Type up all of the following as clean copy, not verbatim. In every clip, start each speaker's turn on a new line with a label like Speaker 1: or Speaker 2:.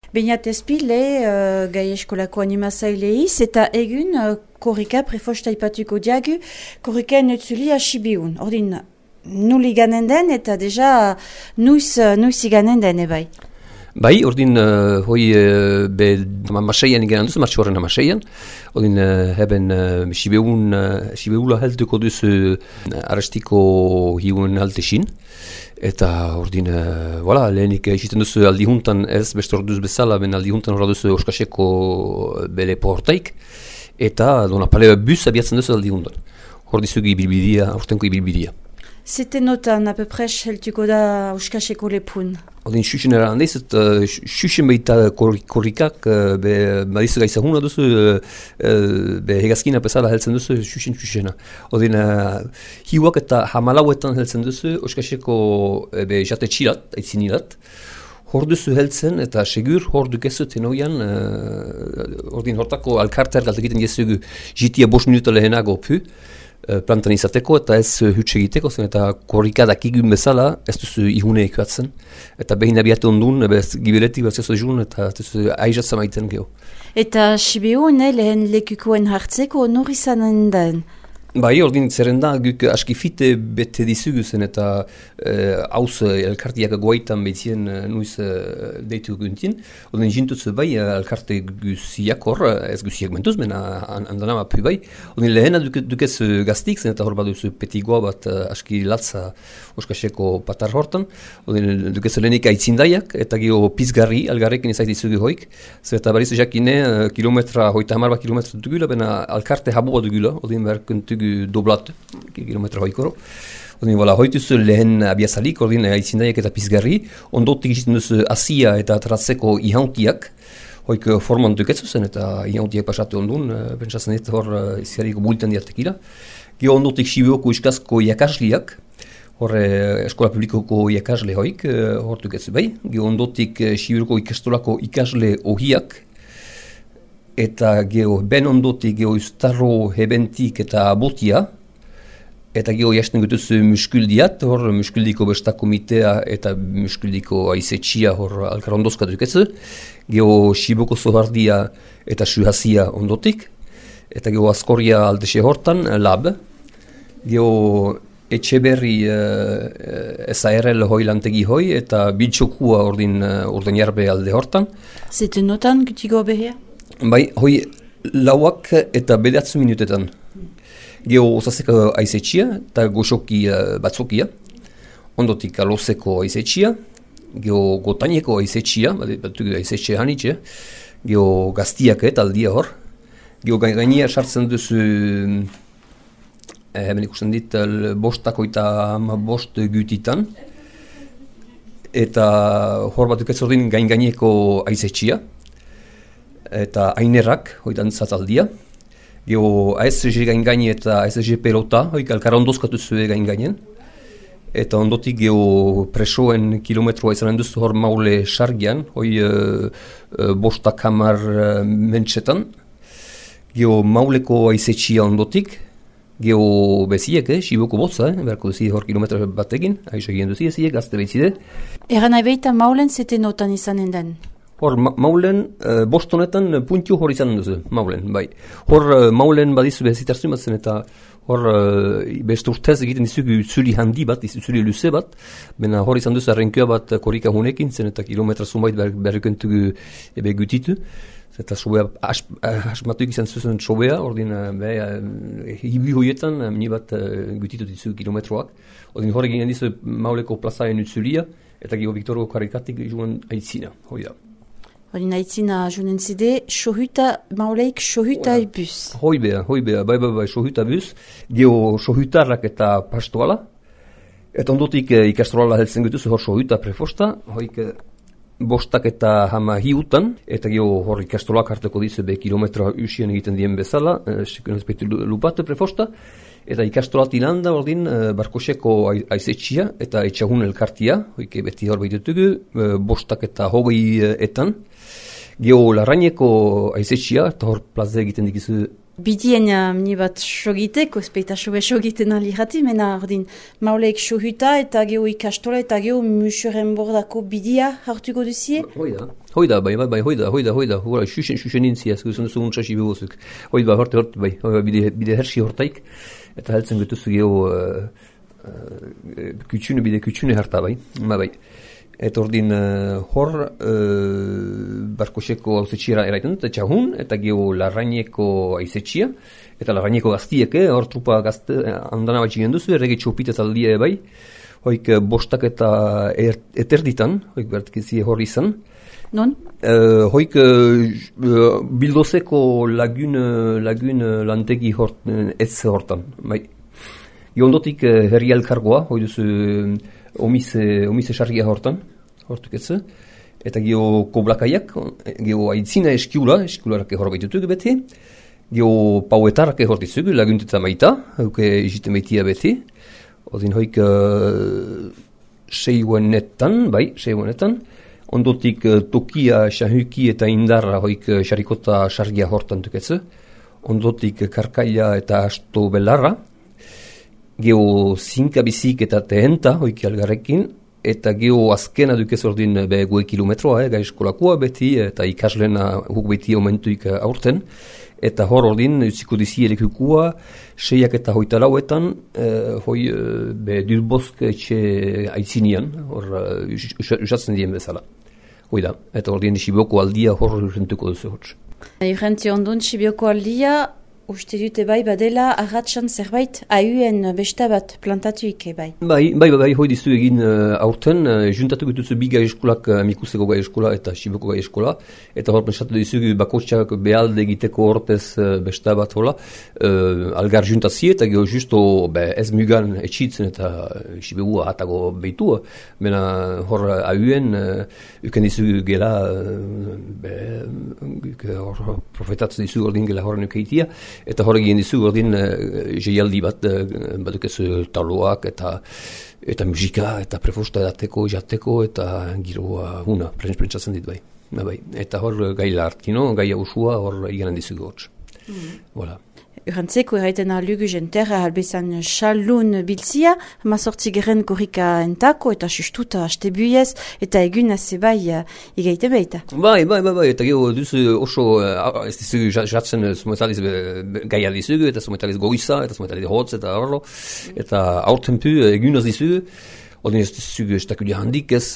Speaker 1: Beñat ezpile, gai eskolako animazaileiz, eta egun korrika prefosta ipatuko diagu, korrika enutzuli asibiun. Ordin, nuli ganen den eta deja nuiz iganen den ebai.
Speaker 2: Bai, ordin, be maseian igen duzu, martxo horren maseian, ordin, heben sibeula helduko duzu arrestiko hiuen haltesin, eta ordin, lehenik isiten duzu aldihuntan ez beste orduz bezala, ben aldihuntan horra duzu Oskaseko bele portaik, eta dona pale bus abiatzen duzu aldihuntan. Hor dizugi ibilbidia, aurtenko ibilbidia.
Speaker 1: Zete notan, apepres, heltuko da Oskaseko lepun?
Speaker 2: Odin xuxen erandez, xuxen baita korrikak, badizu gaizahuna duzu, hegazkina pesala heltzen duzu, xuxena. Odin, hiuak eta hamalauetan heltzen duzu, Oskaseko jate txilat, aitzinilat. Hor duzu heltzen, eta segur hor dukezu tenoian, ordin hortako alkarter galtekiten jezugu jitia 5 minuta lehenago pu, plantan izateko eta ez hutsa egiteko zen eta korrikadak igun bezala ez duzu ihune ekuatzen eta behin abiatu ondun, gibiletik bat zezo jun eta aizatzen maiten geho. Eta
Speaker 1: Sibiu lehen lekukoen hartzeko nor izanen den?
Speaker 2: Bai, ordin zerrenda guk askifite bete dizugu zen eta hauz elkartiak goaitan behitzien nuiz deitu guntin. Ordin jintutzu bai elkarte guziak hor, ez guziak mentuz, mena andanama pu bai. Ordin lehena dukez gaztik zen eta hor baduzu petigoa bat aski latza Oskaseko patar hortan. Ordin dukez lehenik aitzindaiak eta geho pizgarri algarrekin ezait dizugu hoik. Zer eta barizu jakine kilometra, hoita hamarba kilometra dugula, bena alkarte habua dugula, ordin berkuntu doblat, kilometra hoikoro. Ordin, hoituzu lehen abiazalik, ordin, aitzindaiak eta pizgarri, ondotik izten duzu asia eta atratzeko ihauntiak, hoik forman duketzu zen, eta ihauntiak pasatu ondun, pentsatzen ez hor izgarriko bulten diatekila. Gio ondotik Sibioko iskazko iakasliak, hor eskola publikoko iakasle hoik, hor duketzu bai. Gio ondotik Sibioko ikastolako ikasle ohiak, eta geho ben ondotik geho ustarro hebentik eta botia, eta geho jasten gutuzu muskuldiat, hor muskuldiko besta komitea eta muskuldiko aizetxia hor alkarondozka duketzu, geho Siboko zohardia eta suhazia ondotik, eta geho askorria aldexe hortan, lab, geho Etxeberri SARL hoi lantegi hoi, eta biltxokua ordin jarbe alde hortan.
Speaker 1: Zete notan gutiko behia?
Speaker 2: Bai, hoi lauak eta 9 minutetan. Geho osazeko aizetxia eta goxoki batzokia. Ondotik alozeko aizetxia. Geho gotaineko aizetxia, batugu aizetxia hanitxe. Geho gaztiak eta aldia hor. Geho gainia sartzen duzu, hemen ikusten dit, bostako eta bost gutitan. Eta hor batuk ez ordin gaineko aizetxia. Eta ainerrak, hoitan zataldia. Geho ASG gaini eta ASG pelota, hoik alkarondozkatu zuen gainen. Eta ondotik geho presoen kilometroa izanen duzu hor maule sargian, hoi bostak hamar mentsetan. Geho mauleko aizetxia ondotik, geho beziek, Siboko botza, berko duzi hor kilometro batekin, aiza egin duzi eziek, gazte bezide.
Speaker 1: Eran aibeita maulen zete notan izanen den?
Speaker 2: Hor, maulen, bostonetan puntiu hor izan duzu, maulen, bai. Hor, maulen badizu bezitarzu batzen eta hor, beste urtez egiten dizugu zuli handi bat, zuli luze bat, bena hor izan duzu arrenkioa bat korrika hunekin zen eta kilometra zumait berrekentugu ebe gutitu. Eta sobea, asmatuik izan zuzen sobea, ordin, hibi hoietan, mini bat gutitu dizu kilometroak. Ordin hor eginen dizu mauleko plazaen utzulia, eta geho Victorgo karikatik joan aitzina, hoi da.
Speaker 1: Ordin aitzina joanen zide, mauleik sohuta bus.
Speaker 2: Hoi bea, bai, sohuta bus, geho sohutarrak eta pastoala, eta ondotik ikastroala heltzen gutuzu hor sohuta prefosta, hoik bostak eta hama hiutan, eta geho hor ikastolak harteko dizu be kilometra usien egiten dien bezala, sekuen ezpeitu lupate prefosta, eta ikastolat ilanda ordin barkoseko aizetxia eta etxahun elkartia, hoike beti hor behitutugu, bostak eta hogei etan. Geho larraineko aizetxia, eta hor plaze egiten dikizu
Speaker 1: Bidien ni bat sogiteko, speita sobe sogiten alirati, mena ordin mauleik sohuta eta geho ikastola eta geho musuren bordako bidia hartuko duzie?
Speaker 2: Hoida, hoida, xuxen intziaz, guzun duzu untxasi bebozuk. Hoida, bai, bide hersi hortaik, eta heltzen getuzu geho bide kutsune harta, bai. Eta ordin hor barkoseko hauzetxiera eraiten dut, eta txahun, eta geho larraineko aizetxia, eta larraineko gaztieke, hor trupa gazte handana bat jigen duzu, errege txopita taldia bai, hoik bostak eta eterditan, hoik bertkizie hor izan.
Speaker 1: Non?
Speaker 2: Hoik bildozeko lagun lantegi ez hortan, bai. Ondotik herri elkargoa, hoi duzu omise sarria hortuk etze, eta geho koblakaiak, geho aitzina eskiularak hor baitutuk beti, geho pauetarak hor dizugu, lagunteta maita, hauke izite maitia beti, odin hoik seihuenetan, ondotik tokia, shahuki eta indarra hoik sarikota sarria hortan tuketze, ondotik karkaila eta asto belarra, geho zinka bizik eta tehenta, hoiki algarrekin, eta geho azkena dukez ordin gue kilometroa, gai eskolakua beti, eta ikaslena huk beti omentuik aurten, eta hor ordin utziko dizi elekukua, 6 eta 8 hoi dulbosk etxe aitzinian, hor usatzen dien bezala. Hoi da, eta ordin Sibioko aldia hor rentuko duzu hotz.
Speaker 1: Urrentzi ondun Sibioko aldia, uste dute bai badela arratsan zerbait ahuen besta bat plantatuik bai.
Speaker 2: Bai, hoi dizu egin aurten, juntatu gutuzu bi gai eskolak, Mikuseko gai eskola eta Sibioko gai eskola, eta hor pensatu dizu bakotxak behalde egiteko hortez besta bat hola, algar juntazie eta geho justo ez mugan etxitzen eta Sibioa hatago behitua, mena hor ahuen uken dizu gela profetatzen dizu ordin gela horren ukeitia, eta horregin dizu ordin jeialdi bat badukezu taloak eta musika eta prefosta edateko, jateko eta giroa huna, prentsatzen dit bai. Eta hor gaila hartino, gaia usua hor iganen dizu gortz. Voilà.
Speaker 1: Urantzeko erraiten alugu jenterra albezan xalun biltzia, 18 korrika entako eta sustuta haste buiez, eta egun haze bai igaite beita.
Speaker 2: Bai, eta geho duzu oso, ez dizu jatzen sumetaliz gaia dizugu, eta sumetaliz goiza, eta sumetaliz hotz, eta horro, eta aurtenpu egun az dizugu, odin ez dizugu estakudia handik ez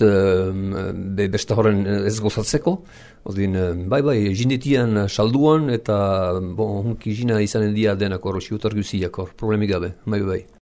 Speaker 2: besta horren ez gozatzeko, odin bai, jindetian salduan, eta hunki jina izanen dia denak horro, siutar guziak hor, problemik gabe, bai.